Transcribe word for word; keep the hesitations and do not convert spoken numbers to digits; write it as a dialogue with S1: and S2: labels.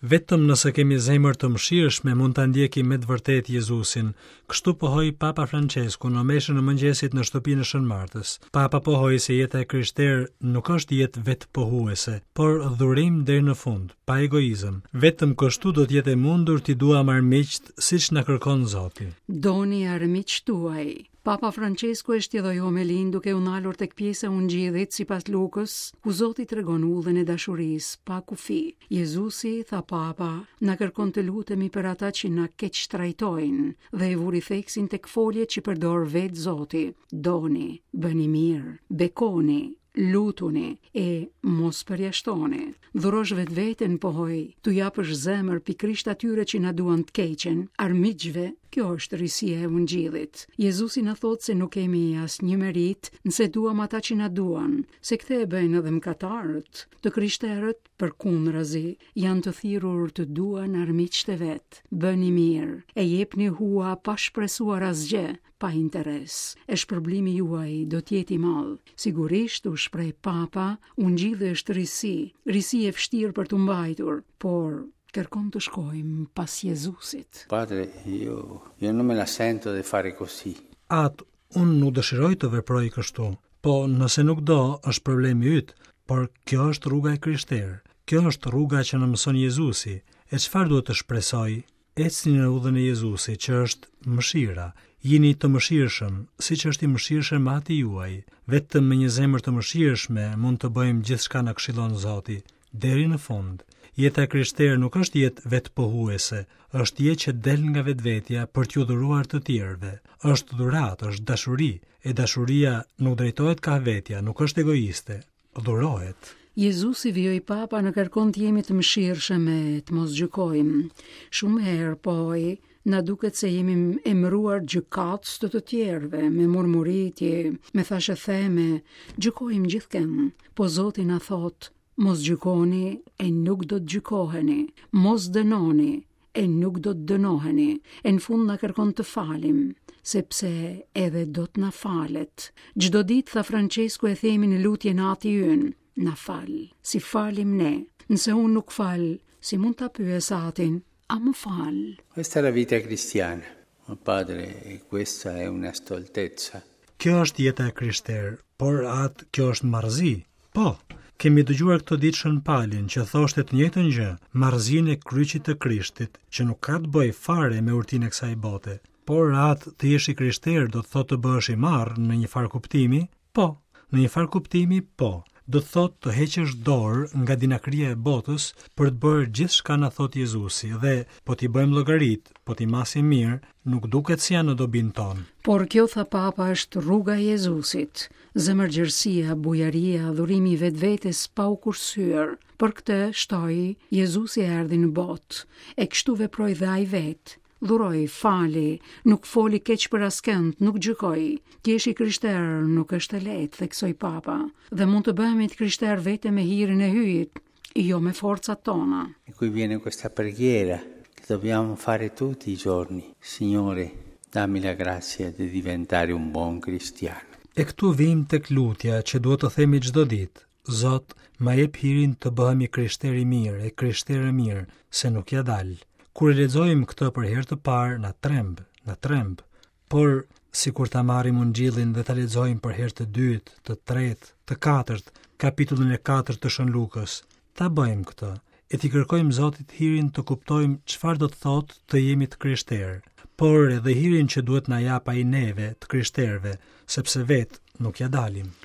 S1: Vetëm nëse kemi zemër të mëshirshme mund ta ndjekim me të vërtetë Jezusin. Kështu pohoi Papa Francesku në meshën e mëngjesit në shtëpinë e Shën Martës. Papa pohoi se jeta e krishterë nuk është jetë vetëpohuese, por dhurim deri në fund, pa egoizëm. Vetëm kështu do të jetë e mundur t'i duam armiqt siç na kërkon Zoti.
S2: Doni armiqt tuaj. Papa Francesku e shtjelloi homelinë duke u ndalur tek pjesa e Ungjillit sipas Lukës, ku Zoti tregon udhën e dashurisë pa kufi. Jezusi, tha Papa, na kërkon të lutemi për ata që na keq trajtojnë dhe e vuri theksin tek foljet që përdor vetë Zoti. Doni, bëni mirë, bekoni, lutuni e mos përjashtoni. Dhurosh vetveten, pohoi, t'u japësh zemër pikërisht atyre që na duan të keqen, armiqve, kjo është risia e Ungjillit. Jezusi na thotë se nuk kemi asnjë merit nëse duam ata që na duan, se këtë e bëjnë edhe mëkatarët. Të krishterët, përkundrazi, janë të thirrur të duan armiqtë e vet. Bëni mirë, e jepni hua pa shpresuar asgjë, pa interes. E shpërblimi juaj do të jetë i madh. Sigurisht, u shpreh Papa, Ungjilli është risi, risi e vështirë për t'u mbajtur, por kërkon të shkojmë pas Jezusit.
S3: Padre, io, io non me la sento di fare così.
S1: Atë, unë nuk dëshiroj të veproj kështu. Po, nëse nuk do, është problemi yt, por kjo është rruga e krishterë. Kjo është rruga që na mëson Jezusi. E çfarë duhet të shpresoj? Ecni në udhën e Jezusit, që është mëshira. Jini të mëshirshëm, siç është i mëshirshëm Ati juaj. Vetëm me një zemër të mëshirshme mund të bëjmë gjithçka na këshillon Zoti, deri në fund. Jeta e krishterë nuk është jetë vetëpohuese, është jetë që del nga vetvetja për t'ju dhuruar të tjerëve. Është dhuratë, është dashuri, e dashuria nuk drejtohet kah vetja, nuk është egoiste, dhurohet.
S2: Jezusi, vijoi Papa, na kërkon të jemi të mëshirshëm e të mos gjykojmë. Shumë herë, pohoi, na duket se jemi emëruar gjykatës të të tjerëve, me murmuritje, me thashetheme, gjykojmë gjithkënd. Po Zoti na thotë, mos gjykoni e nuk do të gjykoheni, mos dënoni e nuk do të dënoheni, e në fund na kërkon të falim, sepse edhe do të na falet. Çdo ditë, tha Francesku, e themi në lutjen Ati ynë, na fal, si falim ne. Nëse unë nuk fal, si mund ta pyes Atin, a më fal?
S3: Questa è la vita cristiana. Ma padre, questa è una stoltezza.
S1: Kjo është jeta e krishterë, por atë kjo është marrëzi. Po, kemi dëgjuar këto ditë Shën Palin që thoshte të njëjtën gjë, marrëzinë e kryqit të Krishtit, që nuk ka të bëjë fare me urtinë e kësaj bote. Por atë të jesh i krishterë do të thotë të bëhesh i marrë në një farë kuptimi? Po, në një farë kuptimi po. Do të thotë të heqësh dorë nga dinakria e botës për të bërë gjithçka na thotë Jezusi dhe po t'i bëjmë llogarit, po t'i masim mirë, nuk duket se janë në dobin tonë.
S2: Por kjo, tha Papa, është rruga e Jezusit, zemërgjerësia, bujaria, dhurimi i vetvetes pa u kursyer. Për këtë, shtoi, Jezusi erdhi në botë, e kështu veproi dhe ai vetë. Dhuroi, fali, nuk foli keq për askënd, nuk gjykoi. Të jesh i krishterë nuk është e lehtë, theksoi Papa, dhe mund të bëhemi të krishterë vetëm me hirin e Hyjit, jo me forcat tona.
S3: E qui viene questa preghiera che dobbiamo fare tutti i giorni. Signore, dammi la grazia di diventare un buon cristiano.
S1: E këtu vim tek lutja që duhet të themi çdo ditë. Zot, ma jep hirin të bëhem i krishterë i mirë, e krishterë e mirë, se nuk ja dal. Kur e lexojmë këtë për herë të parë, na tremb, na tremb. Por sikur ta marrim Ungjillin dhe ta lexojmë për herë të dytë, të tretë, të katërt, kapitullin e katërt të Shën Lukës, ta bëjmë këtë e t'i kërkojmë Zotit hirin të kuptojmë çfarë do të thotë të jemi të krishterë, por edhe hirin që duhet na jap ai neve, të krishterëve, sepse vetë nuk ja dalim.